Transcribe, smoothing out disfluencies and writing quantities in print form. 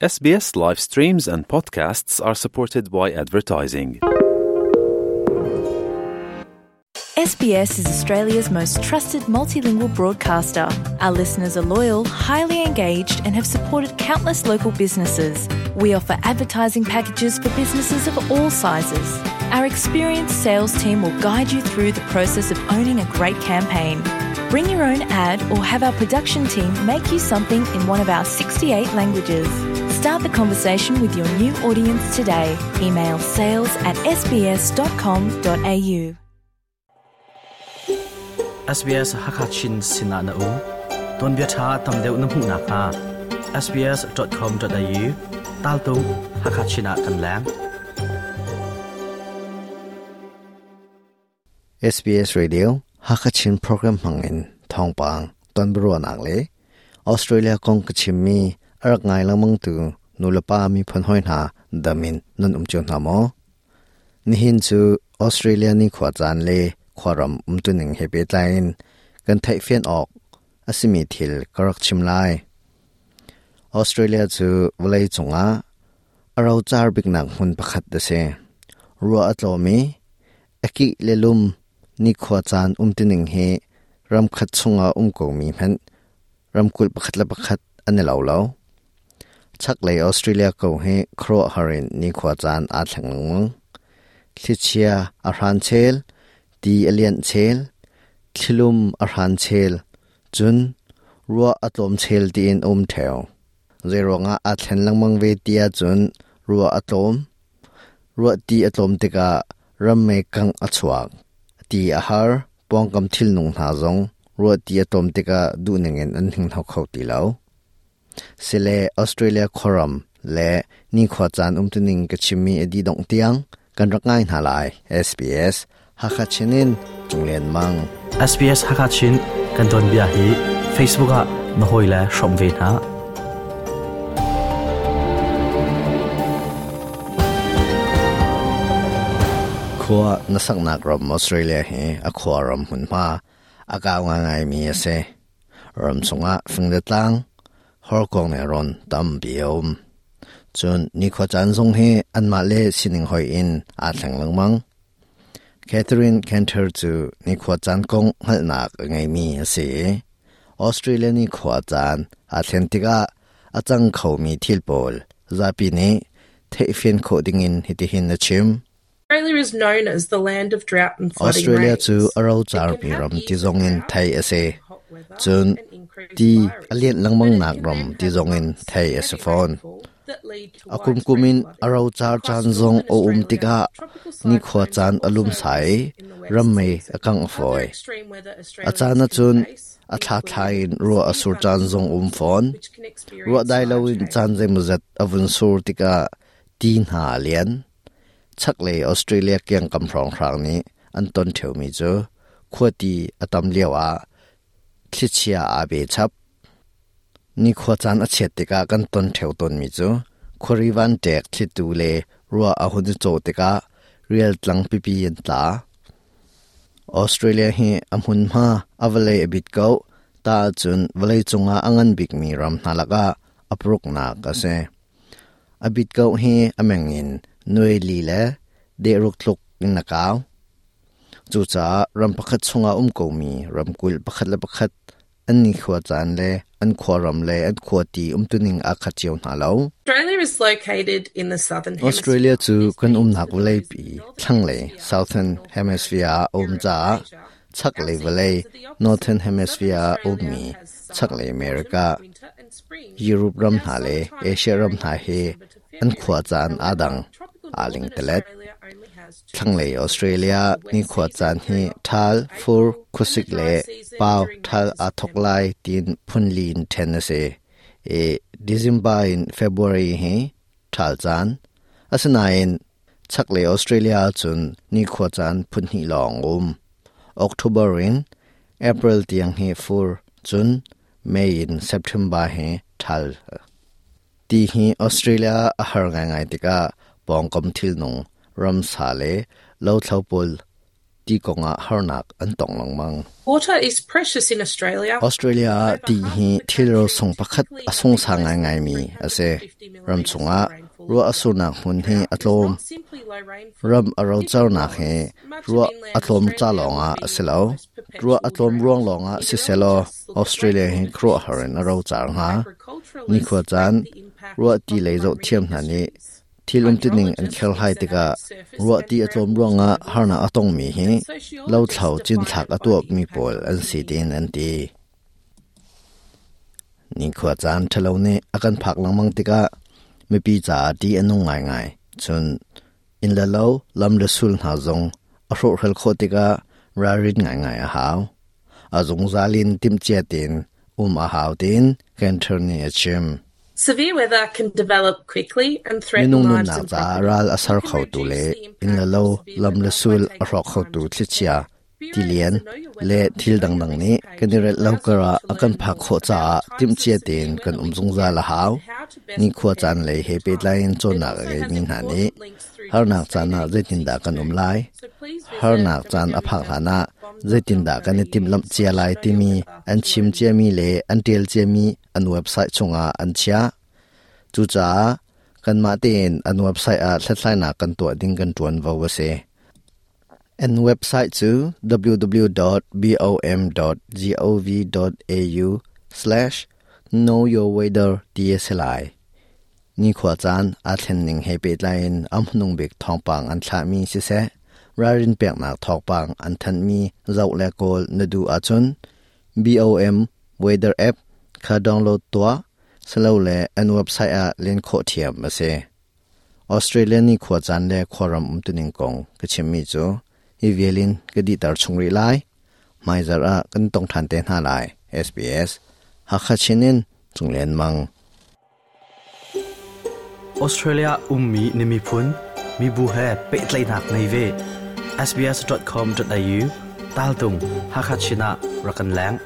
SBS live streams and podcasts are supported by advertising. SBS is Australia's most trusted multilingual broadcaster. Our listeners are loyal, highly engaged, and have supported countless local businesses. We offer advertising packages for businesses of all sizes. Our experienced sales team will guide you through the process of owning a great campaign. Bring your own ad or have our production team make you something in one of our 68 languages. Start the conversation with your new audience today. Email sales at sbs.com.au. SBS Hakachin Sinah na um tonbia tha tam deuh na hmuh nakhnga sbs.com.au taltung Hakachin ah kan leng. SBS Radio Hakachin program hmangin thawngpang tonbiaruahnak le Australia kong ka chimmi a rak ngai lengmang tu nulepa miphun hawi hna dam in nan um cio hna maw? Nihin cu Australia ni khua caan le khuaram umtuning he pehtlai in kan theihfian awk a simi thil ka rak chim lai. Australia cu vawlei cungah a rocar biknak hmun pakhat a si. Ruah a tlawm i A kih le lum nikhua caan umtuning hi ramkhat chungah um komi hmanh ramkulh pakhat le pakhat an i lo lo. Chaklei Australia ko hi khuaruahhar in nikhua caan aa thleng lengmang. Thlichia a hran chel, ti a lianh chel, thlilum a hran chel, cun ruah a tlawm chel tiin a um ṭheo. Zeiruangah aa thlen lengmang ve ti ahcun ruah a tlawm, Ruahti a tlawm tikah rammei kangh a chuak. Ti a har, pawngkam thilnung hna zong ruahti a tlawm tikah duhning in an hninghno kho ti lo. Sile Australia khuaram le nikhua caan umtuning ka chimmi a dih dongh tiang kan rak ngai hna lai. SBS Hakha Chin in Cunglian Mang. SBS Hakha Chin kan tuanbia hi Facebook ah na hawile hrawm ve hna. Khua na saknak ram Australia hi a khua ram hmunhma a kau ngaingaimi a si. Ram chungah fing le tlang, horkuang le rawn tampi a um. Cun nikhua caan zong hi anmah le sining hoih in aa thleng lengmang. Catherine Cantor cu nikhua caan kong hngalhnak a ngeimi a si i Australia nikhua caan aa thlen tikah a cang khomi thil pawl zapi nih theihfian khawh dingin hitihin a chim. Australia cu a rocarmi ram ti zongin theih a si. Cun ti a lianh lengmangnak ram ti zongin theih a si fawn. A kumkum in a rocar caan zong a um tikah nikhua caan a lumsa i rammei a kangh fawi. A caan ahcun a thlathla in ruah a sur caan zong um fawn. Ruah dai loin caan zeimawzat a vun sur tikah ti hna a lian. Chaklei Australia kiangkam hrawnghrang nih an ton ṭheomi cu khuati a tam lioah thlichia aa be chap. Nikhua caan a chiat tikah kan ton ṭheo tawnmi cu khuari vanṭek thlitu le ruah a hun i cawh tikah rial tlang pipi an tla. Australia hi a hmunhma a vawlei a bit ko, ta ahcun vawleicung ah a ngan bikmi ram hna lakah a paruknak a si. A bit ko hi a meng in nuai li le dehruk tluk in a kau. Cucaah ram pakhat chungah um komi ramkulh pakhat le pakhat an nikhua caan le an khuaram le an khuati umtuning aa khat cio hna lo. Australia cu kan umnak vawleipi thlanglei Southern Hemisphere ah a um caah chaklei vawlei Northern Hemisphere ah a ummi chaklei America, Europe ram hna le Asia ram hna hi an khua caan aa dang, aa lingtalet. Thlanglei Australia nikhua caan hi ṭhal, fur, khuasik le pau ṭhal aa thawk lai tiin phunli in ṭhen a si i December in February hi ṭhal caan. Asinain chaklei Australia ahcun nikhua caan phunhnih lawng a um. October in April tiang hi fur, cun May in September hi ṭhal. Ti hi Australia a har ngaingai tikah pawngkam thilnung, ramsa le lothlo pawl Ti kongah harnak an tong lengmang. Water is precious in Australia. Australia ah ti hi thil rosung pakhat a sungsang ngaingaimi a si. Ram chungah ruah a surnak hmun hi a tlawm. Ram a rocarnak hi ruah a tlawm ca lawngah a si lo. Ruah a tlawm ruang lawngah siselaw Australia hi khuaruahhar in a rocar hnga. Nikhua caan ruah ti lei zohthiam hna nih Thil umtuning an kherhlai tikah ruahti a tlawm ruangah harnak a tongmi hi lothlo cinthlak a tuahmi pawl an si tiin an ti. Nikhua caan ṭhalo nih a kan phak lengmang tikah mipi caah ṭih a nung ngaingai. Cun inn le lo, lam le sul hna zong a hrawhhral khawh tikah ralrin ngaingai a hau. A zungzal in timhcia tein um a hau tiin Cantor nih a chim. Severe weather can develop quickly and threaten Minung lives nunnak and caah property. ral a ser It can khotu reduce le the inn le impact lo, of severe lam le weather by sul a taking hrawk khotu time to thlichia, prepare. tilian Bureau to know your le weather and thil know your dangdang risk nih kan page i relh lo allows you karah to a kan learn phak more khawh about caah types of timhcia severe tein kan weather um we can zungzal get a hau. and how to best Nikhua prepare caan for lei he each pehtlai type. in It cawnnak a also has ngeimi hna nih important links through to the harnak state caan ah agencies zeitindah kan um too. lai? So please visit Harnak caan a phak hlanah zeitindah kan i timhlamh cia lai timi www.bom.gov.au/knowyourweather an to chim learn more. ciami le an ṭial ciami an website chungah an chiah. Cucaah kanmah tein an website ah hlathlainak kan tuah ding kan ṭuanvo a si. An website cu www.bom.gov.au/knowyourweather ti a si lai. Nikhua caan aa thlenning he pehtlai in a hmanung bik thawngpang an thlahmi siseh, ralrin peknak thawngpang an thanhmi zoh le kawl na duh ahcun BOM Weather app kha download tuah, silole an website ah len khawh ṭhiam a si. Australia nikhua caan le khuaram umtuning kong ka chimmi cu hi vial in ka dihter chung rih lai. Hmaizarh ah kan tong ṭhan te hna lai. SBS Hakha Chin in Cunglian Mang. Australia ummi na miphun, mibu he pehtlaihnak ngei ve. sbs.com.au tal tung Hakha Chin ah rak kan leng.